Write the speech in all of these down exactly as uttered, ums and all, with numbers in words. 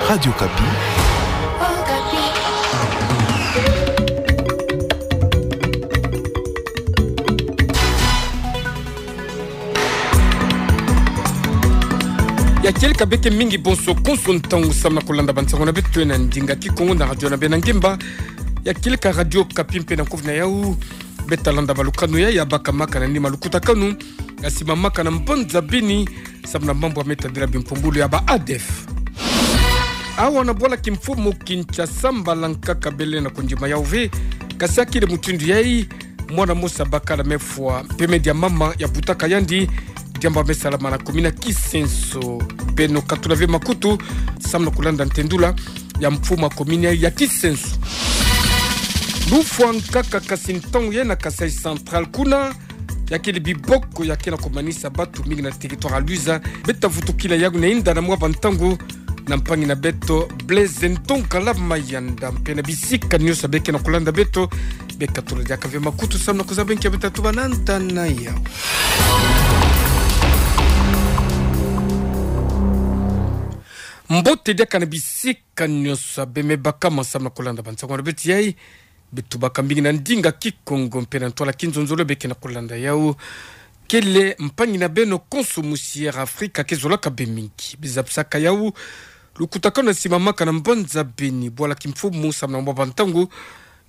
Radio Okapi. Ya kieleka beke mingi bonso konso ntangu samu na kolanda bansango na beto na ndinga Kikongo na radio na beno ngemba. Ya kieleka Radio Okapi mpe na nkovi na yau. Beta landa balukanu ya, ya bakamaka na nima lukutakanu ya simamaka na mbanza bini, samu na mambu ya me tadila bimpumbulu ya ba ADF. Awa na bwala kimfumu Kinshasa, mbala nkaka bele na kondima yau ve, kasi akile mutindu yai, mwana mosi ya bakala mefwa, mpe me dia mama ya butaka yandi, diambu ya me salama na komini ya Kisenso. Beno katula ve makutu, samu na kolanda ntendula ya mfumu ya komini ya Kisenso. Lufwa nkaka kasi ntangu yai na Kasaï Central kuna, ya kele biboko ya ke na komanisa batu mingi na territoire ya Luiza. Beta vutukila yau na inda na mwa bantangu na mpangi na beto Blaise Ntonga la Mayanda, mpe na bisika nyonso beke na kolanda beto, beka tula diaka ve makutu samu na kuzaba nki ya beta tuba na nda na yau. Mbote diaka na bisika nyonso be me bakama samu na kolanda bansango na beto yai. Beto baka mingi na ndinga Kikongo mpe na ntwala kinzonzolo beke na kolanda yau. Kele mpangi na beno konso musi Air Afrika ke zolaka be mingi. Bizabisaka yau lukutakanu ya simamaka na mbanza bini, bwala kimfumu samu na mwa bantangu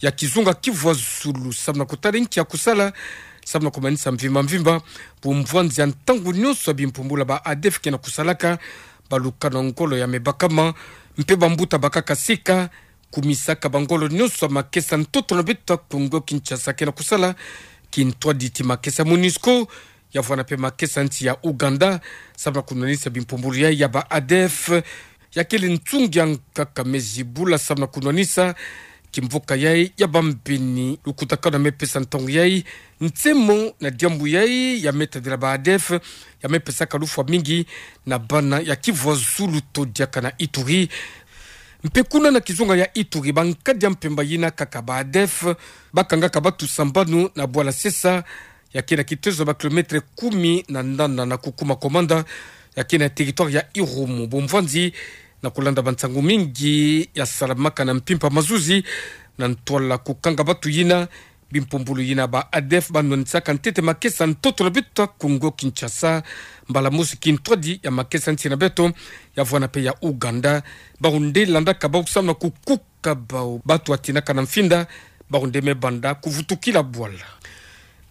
ya kizunga Kivu ya Zulu, samu na kutala nki ya kusala, samu na komanisa mvimba mvimba bumvwanzi ya ntangu nyonso ya bimpumbulu ya ba ADF ke na kusalaka, balukanu ya ngolo ya me bakama, mpe bambuta bakaka sika, kumisaka bangolo nyonso ya makesa ntoto na beto ya Kongo Kinshasa ke na kusala, kintwadi ti makesa MONUSCO, ya vwanda mpe makesa nsi ya Ouganda, samu na kunwanisa bimpumbulu yai ya ba ADF, ya kele nsungi ya nkaka me zibula samu na kunwanisa kimvuka yai ya bambeni. Lukutakanu ya me pesa ntangu yai, nsemo na diambu yai ya me tadila ba ADF, ya me pesaka lufwa mingi na bana ya Kivu ya Zulu to diaka na Ituri. Mpe kuna na kizunga ya Ituri, bankadi ya mpemba yina kaka ba ADF, bakangaka batu sambanu na bwala Sesa, ya ke na kitezo ba kilomètre kumi na nana na kukuma Komanda, ya ke na territoire ya Irumu. Bumvwanzi na kulanda bansangu mingi ya salamaka na mpimpa mazuzi, na ntwala kukanga batu yina, bimpumbulu yina ba ADF banwanisaka ntete makesa ntoto na beto ya Kongo Kinshasa, mbala mosi kintwadi ya makesa nsi na beto, ya vwanda mpe ya Ouganda, bawu nde landaka bawu samu na kukuka bawu, batu ya tinaka na mfinda, bawu nde me banda kuvutukila bwala.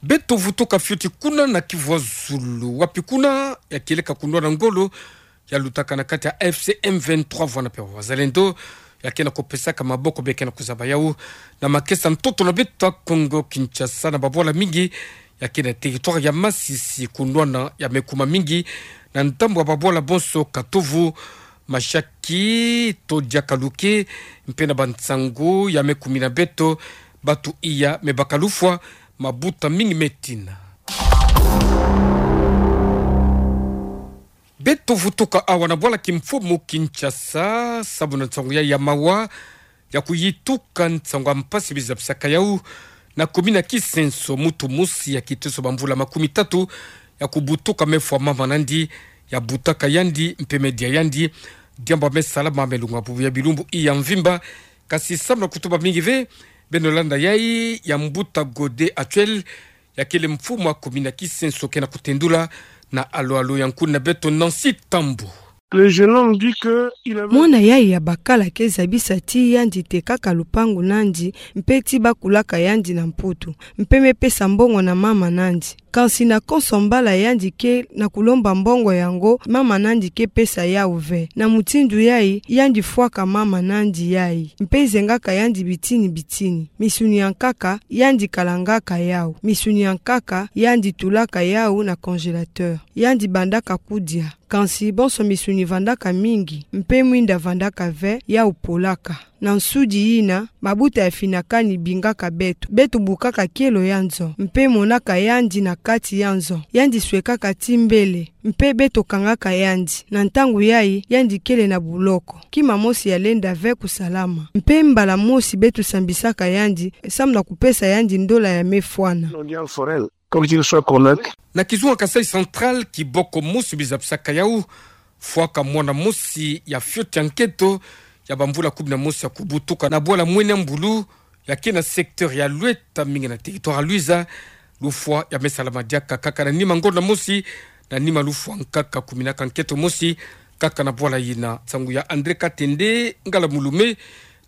Beto vutuka fioti kuna na Kivu ya Zulu, wapi kuna ya kieleka kunwana ngolo ya lutaka na kati ya AFC M vingt-trois vwanda mpe Wazalendo, ya ke na kupesaka maboko, beke na kuzaba yawu na makesa ntoto na beto ya Kongo Kinshasa na babwala mingi ya ke na territoire ya Masisi. Kunwana ya me kuma mingi na ndambu ya babwala bonso Katovu, Mashaki to diaka Luke, mpe na bansangu ya me kumina beto, batu iya me baka lufwa, mabuta mingi me tina. Beto vutuka awa na bwala kimfumu Kinshasa, samu na nsangu ya, ya mawa ya kuyituka, nsangu ya mpasi bizabisaka yawu na komini ya Kisenso. Mutu mosi ya kiteso bamvula makumi tatu ya kubutuka mefwa mama nandi ya butaka yandi mpe me dia yandi, diambu ya me salama me lunga bubu ya bilumbu iya mvimba. Kasi samu na kutuba mingi ve, beno landa yayi ya mbuta Gode Actuel, ya kele mfumu ya komini ya Kisenso, ke na kutendula na alo-alo ya nkuni na beto Nancy Tambu. Le jeune homme dit que il avait Mwana yayi ya bakala ke zabisa ti yandi tekaka lupangu nandi, mpe ti bakulaka yandi na Mputu, mpe me pesa mbongo na mama nandi. Kansi na konso mbala yandi ke na kulomba mbongo yango, mama nandi ke pesa yawu ve. Na mutindu yayi, yandi fwaka mama nandi yayi, mpe zengaka yandi bitini-bitini. Misuni ya nkaka, yandi kalangaka yawu. Misuni ya nkaka, yandi tulaka yawu na congélateur. Yandi bandaka kudia. Kansi bonso misuni vandaka mingi, mpe mwinda vandaka ve, yawu polaka. Na nsudi yina, mabuta ya finakani bingaka beto. Beto bukaka kielo ya nzo, mpe monaka yandi na kati ya nzo. Yandi swekaka ti mbele, mpe beto kangaka yandi. Na ntangu yayi, yandi kele na buloko. Kima mosi ya lenda ve kusalama. Mpe mbala mosi beto sambisaka yandi, samu na kupesa yandi ndola ya me fwana. L'audience foraine, comme qu'il soit correct. Na kizunga Kasaï Central, kiboko mosi bizabisaka yawu Fwaka mwana mosi ya fioti ya nkento ya bamvula kumi na mosi ya kubutuka na bwala mwene mbulu ya ke na secteur ya Lueta, mingi na territoire ya Luiza, lufwa ya me salama diaka kaka na nima ngonda mosi, na nima lufwa nkaka kumi na ka nkento mosi, kaka na bwala yina. Nsangu ya André Katende, Ngala Mulume,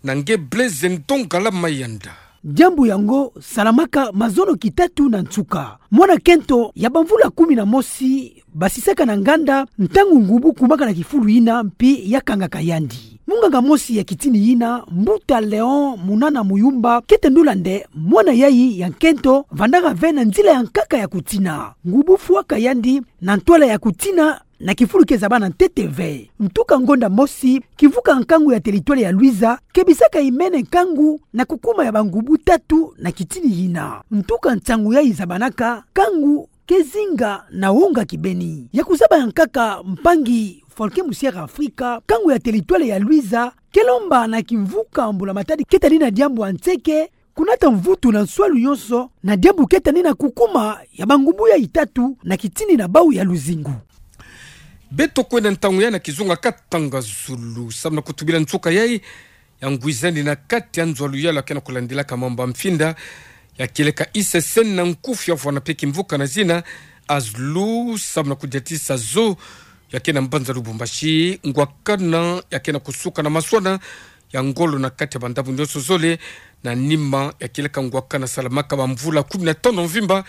na nge Blaise Ndongala Mayanda. Diambu yango salamaka mazono kitatu na nsuka. Mwana kento ya bamvula kumi na mosi basisaka na nganda ntangu ngubu kumaka na kifulu yina mpi ya kangaka yandi. Munganga mosi ya kitini yina, Mbuta Léon Munana Muyumba, kete ndula nde mwana yayi ya nkento vandaka ve na nzila ya nkaka ya kutina. Ngubu fwaka yandi na ntwala ya kutina na kifulu ke zaba na ntete ve. Ntuka ngonda mosi, kimvuka nkangu ya territoire ya Luiza kebisaka imene nkangu na kukuma ya bangubu tatu na kitini yina. Ntuka nsangu yayi zabanaka, nkangu ke zinga na wonga kibeni. Ya kuzaba ya nkaka, mpangi Folke Musiere Afrika, nkangu ya territoire ya Luiza ke lomba na kimvuka mbula matadi ke tani na diambu ya nseke, kunata mvutu na nswalu nyonso na diambu ke tani na kukuma ya bangubu yayi tatu na kitini na bau ya luzingu. Beto kwenda ntangu yayi na kizunga katanga zulu, samu na kutubila nsuka yayi ya ngwizani na kati ya nzo ya luyalu ya ke na kulandilaka mambu ya mfinda ya kieleka I C C N na nkufi ya vwana mpe kimvuka na zina Azlu, samu na kudiatisa zo ya ke na mbanza Lubumbashi, ngwakana ya ke na kusuka na maswana ya ngolo na kati ya bandambu nyonso zole, na nima ya kieleka ngwakana salamaka bamvula kumi na tano mvimba.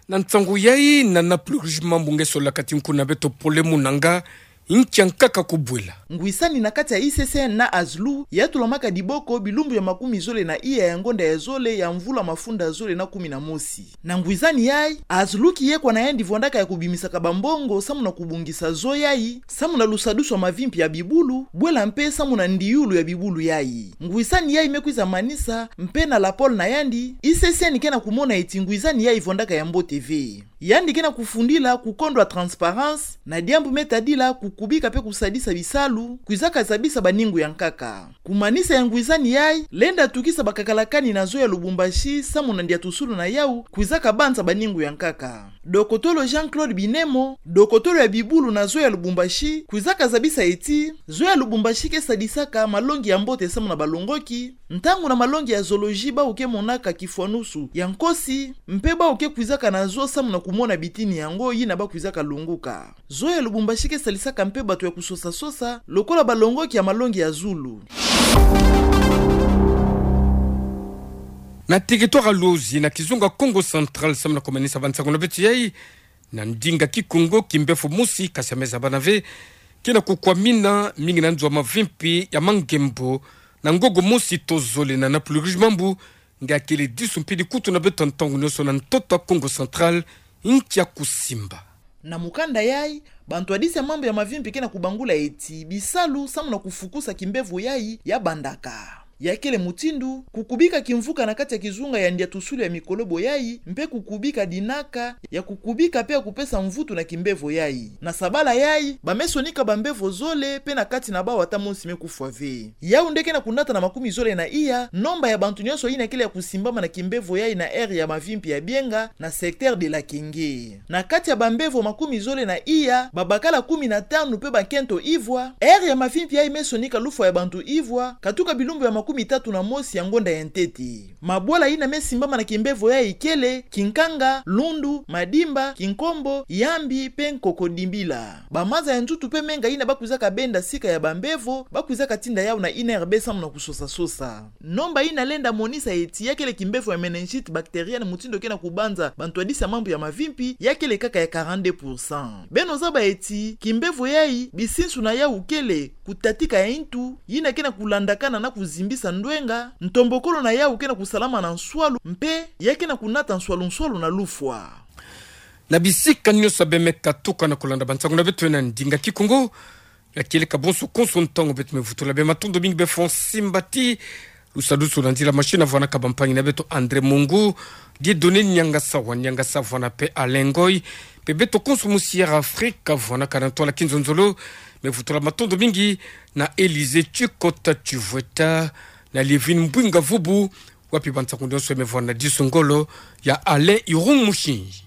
Na nsangu yayi, na Napoli Rouge Mambu nge sola kati nkuna beto Pole Munanga, nkia nkaka kubwela. Ngwisani na kati ya I C C N na Azlu yatulamaka diboko bilumbu ya makumi zole na iya ya ngonda ya zole ya mvula mafunda zole na kumi na mosi. Na ngwisani yayi, Azlu kiyekwa na yandi vwandaka ya kubimisaka bambongo samu na kubongisa zo yayi, samu na lusadusu ya mavimpi ya bibulu, bwela mpe samu na ndiulu ya bibulu yayi. Ngwisani yayi me kwiza manisa, mpe na lapole na yandi, I C C N ke na kumona eti ngwisani yayi vwandaka ya mbote ve. Yandi ke na kufundila kukondwa transparence, na diambu me tadila kukubika mpe kusadisa bisalu, kwizaka zabisa baningu ya nkaka. Kumanisa ya ngwisani yayi, lenda tukisa bakakalakani na zo ya Lubumbashi, samu na ndiatusulu na yawu, kwizaka banza baningu ya nkaka. Dokotolo Jean-Claude Binemo, dokotolo ya bibulu na zo ya Lubumbashi, kwizaka zabisa eti, zo ya Lubumbashi ke sadisaka malongi ya mbote samu na balongoki, ntangu na malongi ya zoologie bawu ke monaka kifwanusu ya nkosi, mpe bawu ke kwizaka na zo samu na kumona bitini yango yina ba kwizaka longoka. Zo ya Lubumbashi ke salisaka mpe bato ya kusosa-sosa, lokola balongoki ya malongi ya zulu. Na territoire ya Luozi, na kizunga Kongo Central, samu na kumanisa bansangu na beto yayi, na ndinga Kikongo, kimbevo mosi, kasi ya me zabana ve, ke na kukwamina mingi na nzo ya mavimpi ya Mangembo, na ngongo mosi to zole na Napoli Rouge Mambu, nge akele disu mpe dikutu na beto ntangu nyonso na ntoto ya Kongo Central, nkia kusimba. Na mukanda yayi, bantwadisi ya mambu ya mavimpi ke na kubangula eti bisalu samu na kufukusa kimbevo yayi ya bandaka. Ya kele mutindu, kukubika kimvuka na kati ya kizunga ya ndiatusulu ya mikolobo yayi, mpe kukubika dinaka ya kukubika mpe ya kupesa mvutu na kimbevo yayi. Na sabala yayi, ba me sonika bambevo zole, mpe na kati na bawu ata mosi me kufwa ve. Yawu nde ke na kunata na makumi zole na iya nomba ya bantu nyonso yina kele ya kusimbama na kimbevo yayi na aire ya mavimpi ya Bienga, na secteur de la Kenge. Na kati ya bambevo makumi zole na iya, babakala kumi na tanu mpe bakento ivwa, aire ya mavimpi yayi me sonika lufwa ya bantu ivwa, katuka bilumbu ya makumi tatu na mosi ya ngonda ya ntete. Mabwala yina me simbama na kimbevo yayi kele Kinkanga, Lundu, Madimba, Kinkombo, Yambi, mpe Nkokodimbila. Bamaza ya nzutu mpe menga yina ba kwizaka benda sika ya bambevo, ba kwizaka tinda yawu na I N R B samu na kusosa-sosa. Nomba yina lenda monisa eti ya kele kimbevo ya méningite bactérienne, mutindu ke na kubanza bantwadisi ya mambu ya mavimpi, ya kele kaka ya quarante-deux pour cent. Beno zaba eti kimbevo yayi, bisinsu na yawu kele kutatika ya ntu, yina ke na kulandakana na kuzimbisa ndwenga, ntombokolo na yawu ke na kusalama na nswalu, mpe ya ke na kunata nswalu-nswalu na lufwa. Na bisika nyonso beno me katuka na kulanda bansangu na beto na ndinga Kikongo, ya kieleka bonso konso ntangu, beto me vutula beno matondo mingi, beno fweti simba ti lusadusu na nzila machine, vwanaka bampangi na beto André Mongu, Dieudonné Niangasa wa Niangasa, vwana mpe Alain Ngoy, mpe beto konso Musiere Afrika, vwanaka na ntwala kinzonzolo, me vutula matondo mingi na Élysée Tchikota Tchivweta, na Lievine Mbwinga Vubu, wapi bansangu nyonso me vwana disu ngolo ya Alain Irung Mushinji.